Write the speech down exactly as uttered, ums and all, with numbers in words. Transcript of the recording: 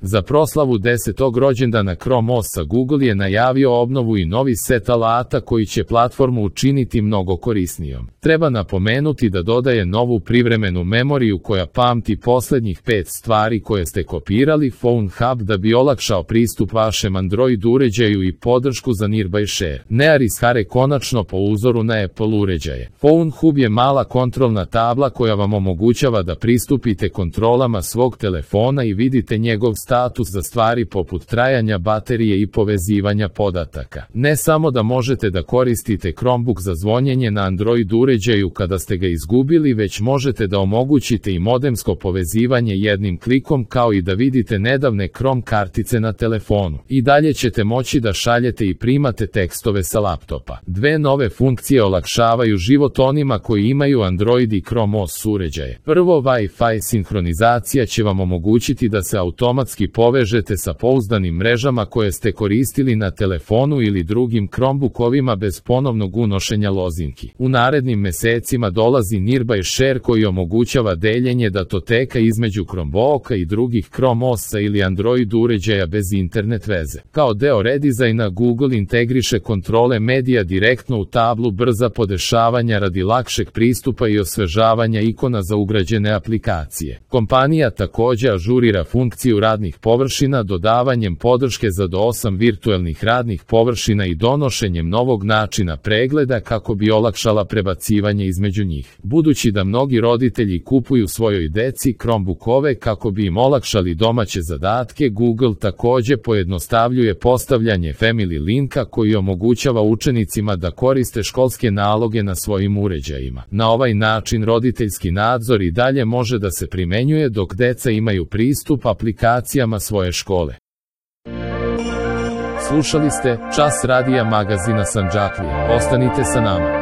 Za proslavu desetog rođendana Chrome O S-a Google je najavio obnovu i novi set alata koji će platformu učiniti mnogo korisnijom. Treba napomenuti da dodaje novu privremenu memoriju koja pamti posljednjih pet stvari koje ste kopirali, Phone Hub da bi olakšao pristup vašem Android uređaju i podršku za Nearby Share. Nearis Hare konačno po uzoru na Apple uređaje. Phone Hub je mala kontrolna tabla koja vam omogućava da pristupite kontrolama svog telefona i vidite njegov status za stvari poput trajanja baterije i povezivanja podataka. Ne samo da možete da koristite Chromebook za zvonjenje na Android uređaju kada ste ga izgubili, već možete da omogućite i modemsko povezivanje jednim klikom kao i da vidite nedavne Chrome kartice na telefonu. I dalje ćete moći da šaljete i primate tekstove sa laptopa. Dve nove funkcije olakšavaju život onima koji imaju Android i Chrome O S uređaje. Prvo, Wi-Fi sinhronizacija će vam omogućiti da se automatski povežete sa pouzdanim mrežama koje ste koristili na telefonu ili drugim Chromebookovima bez ponovnog unošenja lozinki. U narednim mesecima dolazi Nearby Share koji omogućava deljenje datoteka između Chromebooka i drugih Chrome O S-a ili Android uređaja bez internet veze. Kao deo redizajna Google integriše kontrole medija direktno u tablu brza podešavanja radi lakšeg pristupa i osvežavanja ikona za ugrađene aplikacije. Kompanija također ažurira funkciju radnih površina dodavanjem podrške za do osam virtuelnih radnih površina i donošenjem novog načina pregleda kako bi olakšala prebacivanje između njih. Budući da mnogi roditelji kupuju svojoj deci Chromebookove kako bi im olakšali domaće zadatke, Google također pojednostavljuje postavljanje Family linka koji omogućava učenicima da koriste školske naloge na svojim uređajima. Na ovaj način roditeljski nadzor i dalje može da se primenjuje dok deca imaju pristup aplikacijama svoje škole. Slušali ste Čas radija magazina Sandžaklija. Ostanite sa nama.